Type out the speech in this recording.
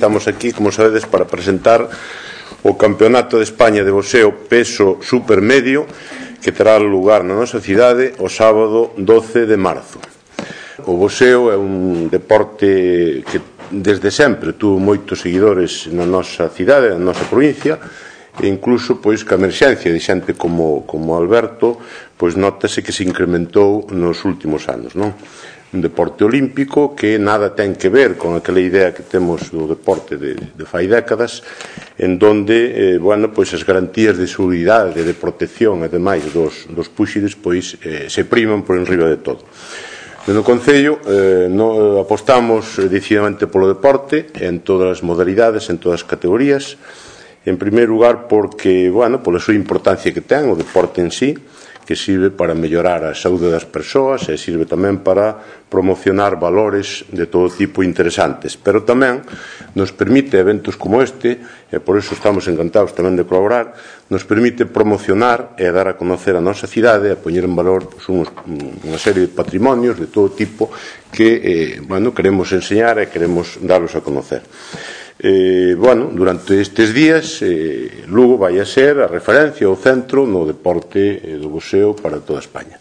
estamos aquí, como sabedes, para presentar o Campeonato de España de boxeo peso supermedio que terá lugar na nosa cidade o sábado 12 de marzo. O boxeo é un deporte que desde sempre tuvo moitos seguidores na nosa cidade, na nosa provincia, e incluso pois que a emerxencia de xente como Alberto pois notase que se incrementou nos últimos anos, non? Un deporte olímpico que nada ten que ver con aquela idea que temos do deporte de fai décadas, en donde, pois as garantías de seguridade, de protección e demais dos púxides pois se priman por enriba de todo. No Concello apostamos decididamente polo deporte en todas as modalidades, en todas as categorías. En primeiro lugar porque, pola súa importancia que ten o deporte en sí, que sirve para mellorar a saúde das persoas e sirve tamén para promocionar valores de todo tipo interesantes, pero tamén nos permite eventos como este, e por iso estamos encantados tamén de colaborar, nos permite promocionar e dar a conocer a nosa cidade, a poñer en valor unha serie de patrimonios de todo tipo que queremos enseñar e queremos darlos a conocer. Durante estes días Lugo vai a ser a referencia, o centro no deporte do boxeo para toda España.